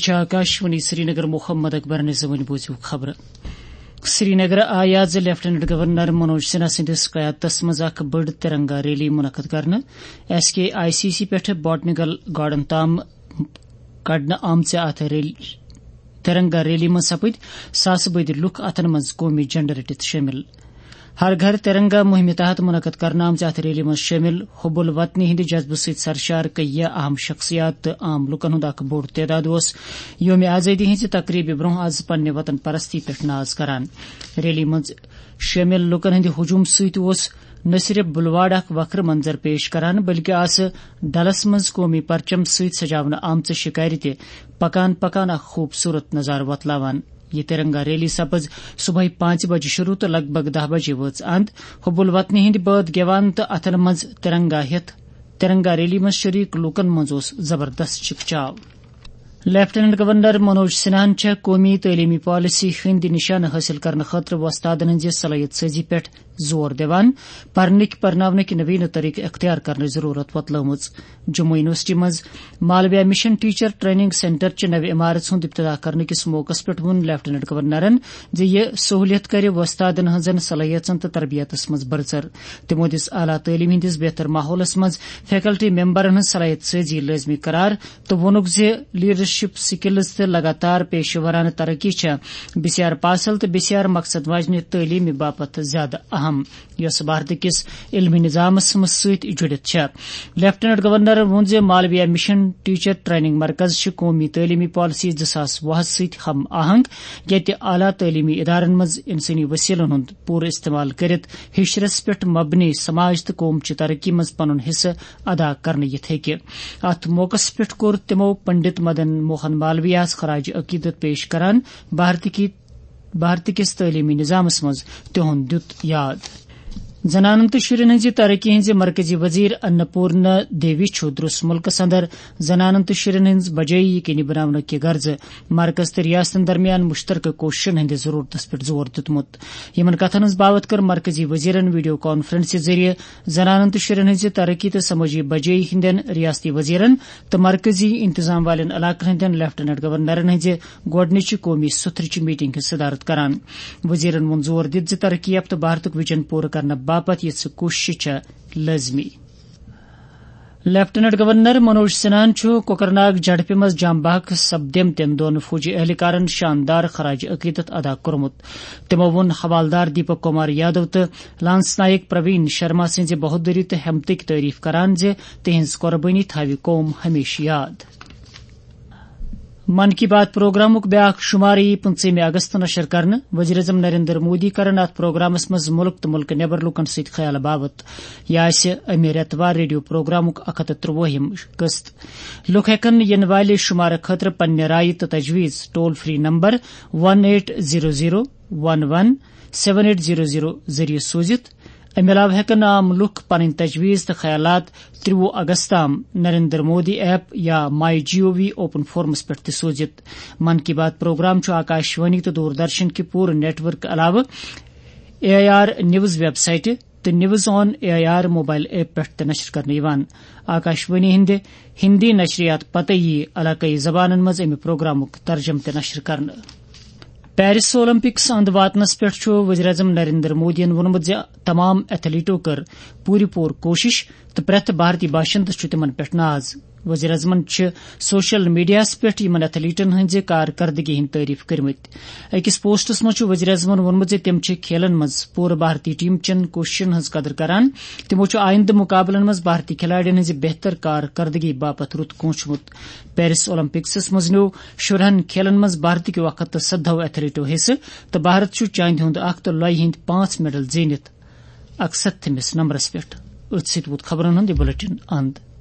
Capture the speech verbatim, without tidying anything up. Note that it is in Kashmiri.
چھِ آکاشوانی سرینگر۔ محمد اکبر نظامٕنۍ بوٗزِو خبرٕ۔ سرینگر آیہِ آز لیفٹیننٹ گورنر منوج سنہا سٕنٛدِس قیادتس منٛز اکھ بٔڑ ترنگا ریلی منعقد کرنہٕ۔ S K I C C پٮ۪ٹھٕ باٹنیکل گارڈن تام کڑنہٕ آمژِ اتھ ریلی، ترنگا ریلی منٛز سپٕدۍ ساسہٕ بٔدۍ لُکھ اتھن منٛز قومی جھنڈٕ رٔٹِتھ شٲمِل۔ ہر گھر ترنگا مُہِمہِ تحت منعقد کرنہٕ آمژِ اتھ ریلی منٛز شٲمِل حب الوطنی ہٕنٛدِ جذبہٕ سۭتۍ سرشار کیٚنٛہہ اہم شخصیات تہٕ عام لُکن ہُنٛد اکھ بوٚڑ تعداد اوس یومِ آزٲدی ہٕنٛزِ تقریبہِ برونٛہہ از پننہِ وطن پرستی پٮ۪ٹھ ناز کران۔ ریلی منٛز شٲمِل لُکن ہٕنٛدِ ہجوم سۭتۍ اوس نہ صرف بلواڑ اکھ وکھرٕ منظر پیش کران، بلکہِ آسہٕ ڈلس منٛز قومی پرچم سۭتۍ سجاونہٕ آمژٕ شکارِ تہِ پکان پکان اکھ خوبصورت نظارٕ وۄتلاوان۔ یہِ ترنگا ریلی سپٕز صبحٲے پانٛژِ بجہِ شروع تہٕ لگ بگ دَہ بجے وٲژ اند۔ حب الوطنی ہٕنٛدۍ بٲتھ گٮ۪وان تہٕ اتھن منٛز ترنگا ہٮ۪تھ ترنگا ریلی منٛز شریک لوٗکن منٛز اوس زبردست چکچاو۔ لیفٹیننٹ گورنر منوج سنہاہن چھےٚ قومی تعلیمی پالیسی ہٕنٛدۍ نشانہٕ حٲصِل کرنہٕ خٲطرٕ وۄستادن ہٕنٛزِ صلٲحیت سٲزی پٮ۪ٹھ زور دِوان پرنٕکۍ پرناونٕکۍ نویٖنہٕ طریقہٕ اختیار کرنٕچ ضروٗرت وۄتلٲومٕژ۔ جموں یونیورسٹی منٛز مالویا مشن ٹیچر ٹریننگ سینٹر چہِ نوِ عمارژ ہُنٛد افتتاح کرنہٕ کِس موقعس پٮ۪ٹھ ووٚن لیفٹیننٹ گورنرن زِ یہِ سہوٗلیت کرِ وۄستادن ہٕنٛزن صلٲحیژن تہٕ تربیتس منٛز بڑژر۔ تِمو دِژ اعلیٰ تعلیٖم ہٕنٛدِس بہتر ماحولس منٛز فیکلٹی ممبرن ہٕنٛز صلٲحیت سٲزی لٲزمی قرار تہٕ ووٚنُکھ زِ لیڈرشپ سکلز تہٕ لگاتار پیشہٕ ورانہٕ ترقی چھےٚ بسیار پاسل تہٕ بسیار مقصد واجنہِ تعلیٖمہِ باپتھ زیادٕ اہم، یۄس بھارت کِس علمی نظامس منٛز سۭتۍ جُڑِتھ چھےٚ۔ لیفٹیننٹ گورنرن ووٚن زِ مالویا مشن ٹیچر ٹریننگ مرکز چھِ قومی تعلیمی پالیسی زٕ ساس وُہس سۭتۍ ہم آہنگ، ییٚتہِ اعلیٰ تعلیمی ادارن منٛز انسٲنی وسیلن ہُنٛد پوٗرٕ استعمال کٔرِتھ ہشرس پٮ۪ٹھ مبنی سماج تہٕ قوم چہِ ترقی منٛز پنُن حصہٕ ادا کرنہٕ یِتھ ہیٚکہِ۔ اتھ موقعس پٮ۪ٹھ کوٚر تِمو پنڈت مدن موہن مالویاہس خراج عقیدت پیش کران بھارتٕکہِ بھارت کِس تعلیمی نظامس منٛز تِہُنٛد دیُت یاد۔ زنانن تہٕ شُرٮ۪ن ہٕنٛزِ ترقی ہٕنٛزِ مرکزی وزیر اناپورنا دیوی چھُ درس مُلکس اندر زنانن تہٕ شُرٮ۪ن ہٕنٛز بجٲیی یقینی بناونہٕ کہِ غرضہٕ مرکز تہٕ ریاستن درمیان مشترکہٕ کوششن ہٕنٛدِ ضرورتس پٮ۪ٹھ زور دیُتمُت۔ یِمن کتھن ہٕنٛز باوتھ کٔر مرکزی وزیرن ویڈیو کانفرنسہِ ذٔریعہٕ زنانن تہٕ شُرٮ۪ن ہٕنٛزِ ترقی تہٕ سمٲجی بجٲیی ہٕنٛدٮ۪ن ریاستی وزیرن تہٕ مرکزی انتظام والٮ۪ن علاقن ہٕنٛدٮ۪ن لیفٹیننٹ گورنرن ہٕنٛزِ گۄڈٕنِچہِ قومی سُتھرٕچہِ میٹنگ ہٕنٛز صدارت کران۔ وزیرن ووٚن زور دِتھ زِ ترقی یافتہٕ بھارتُک ویژن پوٗرٕ کرنہٕ باپتھ یِژھٕ کوٗششہٕ چھےٚ لٲزمی۔ لیفٹیننٹ گورنر منوج سنہاہن چھُ کوکرناگ جھڑپہِ منٛز جام بحق سپدیمتٮ۪ن دۄن فوجی اہلکارن شاندار خراج عقیدت ادا کوٚرمُت۔ تِمو ووٚن حوالدار دیپک کمار یادو تہٕ لانس نائک پروین شرما سٕنٛزِ بہادری تہٕ ہمتٕکۍ تعریف کران زِ تِہنٛز قربٲنی تھاوِ قوم ہمیشہٕ یاد۔ من کی بات پروگرامُک بیاکھ شمارٕ یی پٕنٛژٕہمہِ اگست نشر کرنہٕ۔ وزیر اعظم نریندر مودی کرن اتھ پروگرامس منٛز مُلک تہٕ مُلکہٕ نٮ۪بر لوٗکن سۭتۍ خیال باوت۔ یہِ آسہِ امہِ رٮ۪تہٕ وار ریڈیو پروگرامُک اکھ ہتھ تہٕ ترٛۆوُہِم قسط۔ لوٗکھ ہٮ۪کن یِنہٕ والہِ شمارٕ خٲطرٕ پننہِ رایہِ تہٕ تجویز toll free number one eight zero zero one one seven eight zero zero ذٔریعہٕ سوٗزِتھ۔ امہِ علاوٕ ہٮ۪کن عام لوٗکھ پنٕنۍ تجویز تہٕ خیالات ترٛۆوُہ اگست تام نریندر مودی ایپ یا مائی جی او وی اوپن فورمس پٮ۪ٹھ تہِ سوٗزِتھ۔ من کی بات پروگرام چھُ آکاشوانی تہٕ دوردرشن کہِ پوٗرٕ نیٹ ورک علاوٕ A I R news web سائٹہِ تہٕ news on A I R mobile app پٮ۪ٹھ تہِ نشر کرنہٕ یِوان۔ آکاشوانی ہٕنٛدِ ہندی نشریات پتہٕ یِیہِ علاقٲیی زبانن منٛز امہِ پروگرامُک ترجمہٕ تہِ نشر کرنہٕ۔ پیرس اولمپکس اند واتنس پٮ۪ٹھ چھُ وزیر اعظم نریندر مودیَن ووٚنمُت زِ تمام ایتھلیٹو کٔر پوٗرٕ پوٗرٕ کوٗشش تہٕ پرٛٮ۪تھ بھارتی باشندٕ چھُ تِمن پٮ۪ٹھ ناز۔ وزیر اعظمن چھِ سوشل میڈیاہَس پٮ۪ٹھ یِمن ایتھلیٹن ہٕنٛزِ کارکردگی ہٕنٛدۍ تعریف کٔرمٕتۍ۔ أکِس پوسٹس منٛز چھُ وزیر اعظمن ووٚنمُت زِ تِم چھِ کھیلن منٛز پوٗرٕ بھارتی ٹیم چٮ۪ن کوٗششن ہٕنٛز قدر کران۔ تِمو چھُ آیندٕ مُقابلن منٛز بھارتی کھلاڑٮ۪ن ہٕنٛزِ بہتر کارکردگی باپتھ رُت کونٛچھمُت۔ پیرس اولمپکسس منٛز نیوٗ شُرہن کھیلن منٛز بھارتٕکیو اکھ ہتھ تہٕ سدہو ایتھلیٹو حصہٕ تہٕ بھارت چھُ چاندِ ہُنٛد اکھ تہٕ لۄیہِ ہٕنٛدۍ پانٛژھ میڈل زیٖنِتھ اکستتھمِس نمبرس پٮ۪ٹھ۔ أتھۍ سۭتۍ ووت خبرن ہُنٛد یہِ بلیٹن اند۔